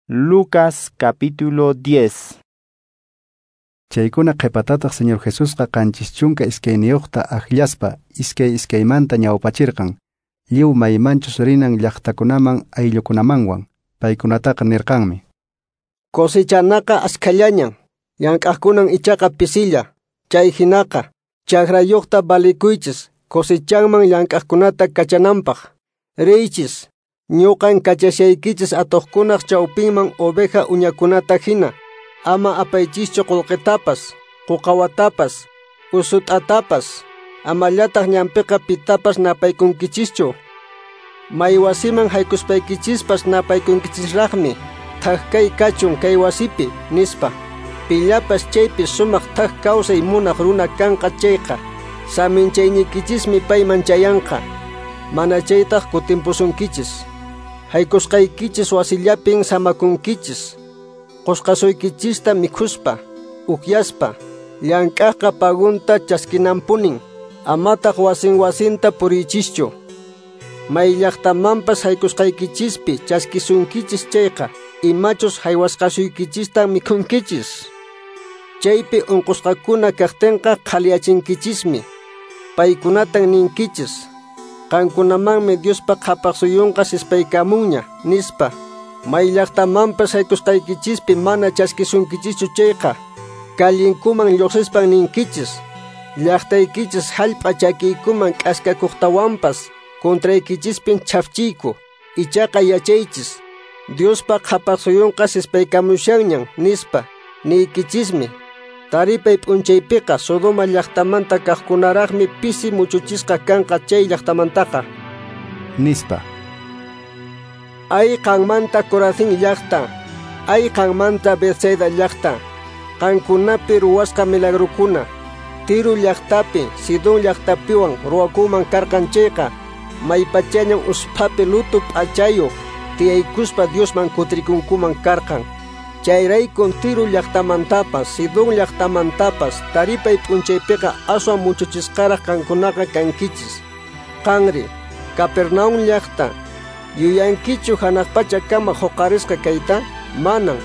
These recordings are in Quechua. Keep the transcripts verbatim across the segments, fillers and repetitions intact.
Lucas capítulo diez. Chaykuna qhipatataq Señor Jesusqa qanchis chunka iskayniyuqta akllaspa iskay iskaymanta ñawpachirqan lliw maymanchus rinan llaqtakunaman ayllukunamanwan. Paykunataqa nirqanmi: Cosechanaqa askhallañan, llank'aqkunan ichaqa pisilla. Chay hinaqa chakrayuqta valikuychis cosechanman llank'aqkunata kachananpaq. Riychis, ñuqan kachashaykichis atuqkunaq chawpinman oveja uñakunata hina. Ama apaychischu qullqitapas, quqawatapas, usut'atapas, amallataq ñanpiqa pitapas napaykunkichischu. May wasiman haykuspaykichispas napaykunkichisraqmi, thak kay kachun kay wasipi, nispa. Pillapas chaypi sumaq thak kawsay munaq runa kanqa chayqa, saminchayniykichismi payman chayanqa, mana chaytaq kutimpusunkichis. Haykusqaykichis wasillapin samakunkichis. Qusqasuykichista mikhuspa, ukyaspa, llank'aqqa pagunta chaskinanpunin, amataq wasin wasinta puriychischu. May llaqtamanpas haykusqaykichispi chaskisunkichis chayqa, imachus haywasqasuykichista mikhunkichis. Chaypi unqusqakuna kaqtinqa qhaliyachinkichismi. Paykunatan ninkichis: qankunamanmi Diospa qhapaq suyunqa sispaykamunña, nispa. May llaqtamanpas haykusqaykichispi mana chaskisunkichischu chayqa, kallinkuman lluqsispan ninkichis: llaqtaykichis hallp'a chakiykuman k'askakuqtawanpas contraykichispin chhafchiyku. Ichaqa yachaychis, Diospa qhapaq suyunqa sispaykamushanñan, nispa niykichismi. Taripay p'unchaypiqa Sodoma llaqtamanta kaqkunaraqmi pisi muchuchisqa kanqa chay llaqtamantaqa, nispa. Ay qanmanta Corazín llaqta, ay qanmanta Bethsaida llaqta, qankunapi ruwasqa milagrokuna, Tiro llaqtapi, Sidón llaqtapiwan ruwakuman karqan chayqa, maypachañan usphapi luto p'achayuq tiyaykuspa Diosman kutirikunkuman karqan. Chayraykun Tiro llaqtamantapas, Sidón llaqtamantapas taripay p'unchaypiqa aswan muchuchisqaraq qankunaqa kankichis. Qanri, Capernaum llaqta, yuyankichu hanaq pachakama huqarisqa kayta? Manan,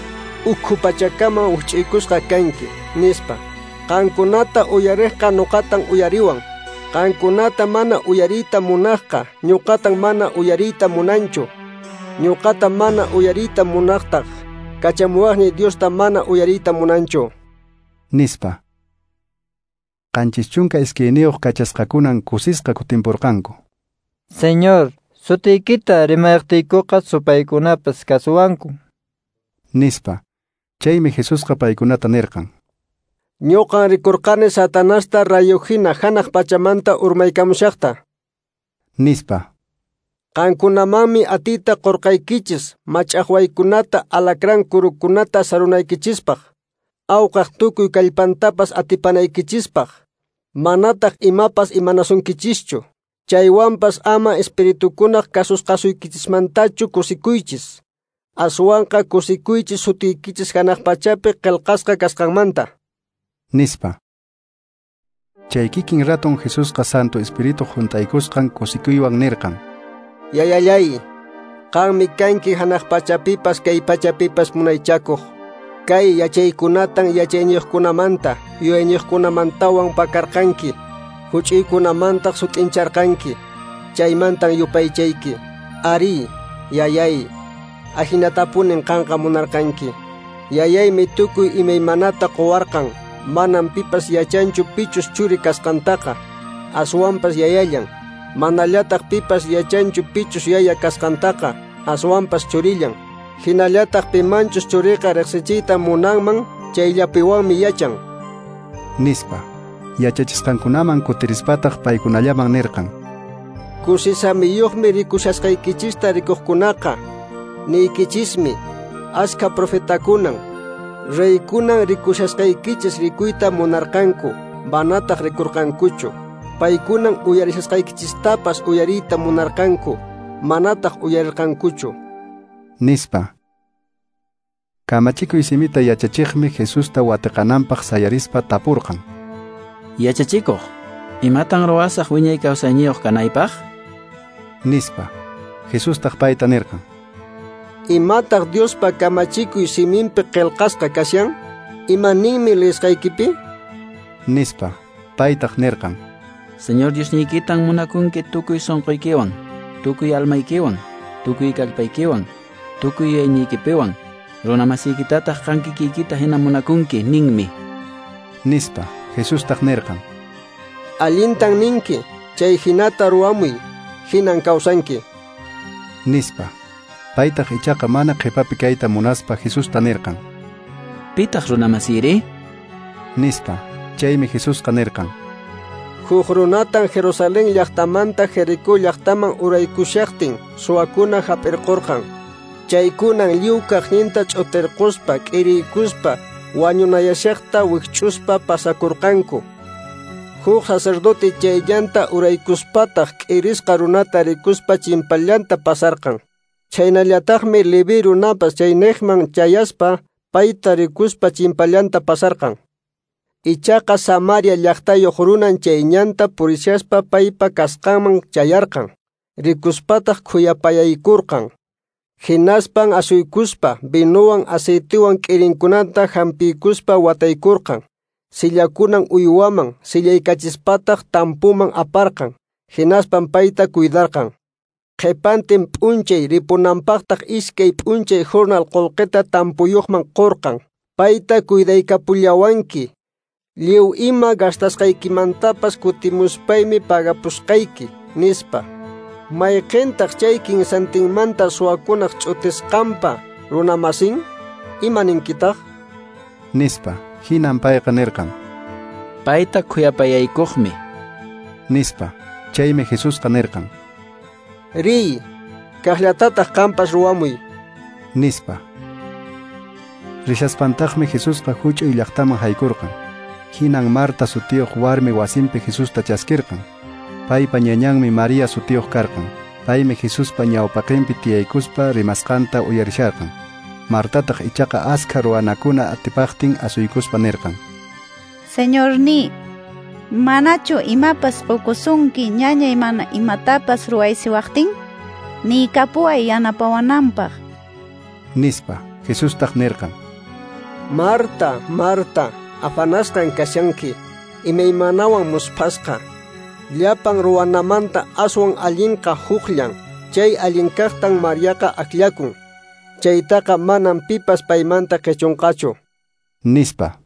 ukhu pachakama uch'iykusqa kanki, nispa. Qankunata uyariqqa ñuqatan uyariwan. Qankunata mana uyariyta munaqqa ñuqatan mana uyariyta munanchu. Ñuqata mana uyariyta munaqtaq kachamuwaqniy Diosta mana uyariyta munanchu, nispa. Qanchis chunka iskayniyuq kachasqakunan kusisqa kutimpurqanku. Señor, sutiykita rimayqtiykuqa supaykunapas kasuwanku, nispa. Chaymi Jesusqa paykunata nirqan: Ñuqan rikurqani Satanasta rayo hina hanaq pachamanta urmaykamushaqta, nispa. Qankunamanmi atiyta qurqaykichis mach'aqwaykunata alacrán kurukunata sarunaykichispaq, awqaq tukuy kallpantapas atipanaykichispaq, manataq imapas imanasunkichischu. Chaywanpas ama espiritukunaq kasusqasuykichismantachu kusikuychis, aswanqa kusikuychis sutiykichis hanaq pachapi qillqasqa kasqanmanta, nispa. Chay kikin raton Jesusqa Santo Espíritu hunt'aykusqan kusikuywan nirqan: Yayallay, qanmi kanki hanaq pachapipas kay pachapipas munaychakuq. Kay yachaykunatan yachayniyuqkunamanta, yuyayniyuqkunamantawan pakarqanki, huch'uykunamantaq sut'incharqanki. Chaymantan yupaychayki. Ari, yayay, ahinatapunin qanqa munarqanki. Yayaymi tukuy imaymanata quwarqan. Manam pipas yachanchu pichus churi kasqantaqa, aswanpas yayallan. Manallataq pipas yachanchu pichus yaya kasqantaqa, aswanpas churillan. Hinallataq pimanchus churiqa riqsichiyta munanman, chayllapiwanmi yachan, nispa. Yachachisqankunaman kutirispataq paykunallaman nirqan: Kusisamiyuqmi rikushasqaykichista rikuqkunaqa. Niykichismi, askha profetakunan, reykunan rikushasqaykichis rikuyta munarqanku, manataq rikurqankuchu. Paykunan uyarishasqaykichistapas uyariyta munarqanku, manataq uyarirqankuchu, nispa. Kamachikuy simita yachachiqmi Jesusta watiqananpaq sayarispa tapurqan: Yachachikuq, imatan ruwasaq wiñay kawsayniyuq kanaypaq? Nispa. Jesustaq payta nirqan: Imataq Diospa kamachikuy siminpi qillqasqa kashan? Ima ninmi leesqaykipi? Nispa. Paytaq nirqan: Señor Diosniykitan munakunki tukuy sunquykiwan, tukuy almaykiwan, tukuy kallpaykiwan, tukuy yuyayniykipiwan, runa masiykitataq qan kikiykita hina munakunki ninmi. Nispa. Jesustaq nirqan: Allintan ninki, chay hinata ruwamuy, hinan kawsanki. Nispa. Paytaq ichaqa mana qhipapi kayta munaspa Jesusta nirqan: Pitaq runa masiyri? Nispa. Chaymi Jesusqa nirqan: Huk runatan Jerusalén llaqtamanta Jericó llaqtaman uraykushaqtin suwakuna hap'irqurqan. Chaykunan lliw kaqninta ch'utirquspa, k'iriykuspa, wañunayashaqta wikch'uspa pasakurqanku. Huk sacerdote chayllanta uraykuspataq k'irisqa runata rikuspa chimpallanta pasarqan. Chhaynallataqmi Leví runapas chayniqman chayaspa payta rikuspa chimpallanta pasarqan. Ichaqa Samaria llaqtayuq runan chay ñanta purishaspa paypa kasqanman chayarqan. Rikuspataq khuyapayaykurqan. Hinaspan asuykuspa vinowan aceitewan k'irinkunata hampiykuspa wataykurqan. Sillakunan uywaman sillaykachispataj tampuman aparqan. Hinaspan payta cuidarqan. Qhipantin p'unchay ripunanpaqtaq iskay p'unchay jornal qullqita tampuyuqman qurqan. Payta cuidaykapullawanki. Lliw ima gastasqaykimantapas kutimuspaymi pagapusqayki, nispa. Mayqintaq chay kinsantinmanta suwakunaq ch'utisqanpa runamasin? Ima ninkitaq? Nispa. Hinan payqa nirqan: Payta khuyapayaykuqmi. Nispa. Chaymi Jesusqa nirqan: Riy, kaqllatataq qampas ruwamuy. Nispa. Rishaspantaqmi Jesusqa huch'uy llaqtaman haykurqan. Hinan Marta sutiyuq warmi wasinpi Jesusta chaskirqan. Paypa ñañanmi María sutiyuq karqan. Paymi Jesuspa ñawpaqinpi tiyaykuspa rimasqanta uyarisharqan. Martataq ichaqa askha ruwanakuna atipaqtin asuykuspa nirqan: Señorni, manachu imapas qukusunki ñañay mana imatapas ruwaysiwaqtin? Niykapuway yanapawananpaq. Nispa. Jesustaq nirqan: Marta, Marta, afanasqan kashanki, imaymanawan musphasqa. Llapan ruwanamanta aswan allinqa huqllan, chay allinkaqtan Mariaqa akllakun. Chaytaqa manam pipas paymanta qichunqachu. Nispa.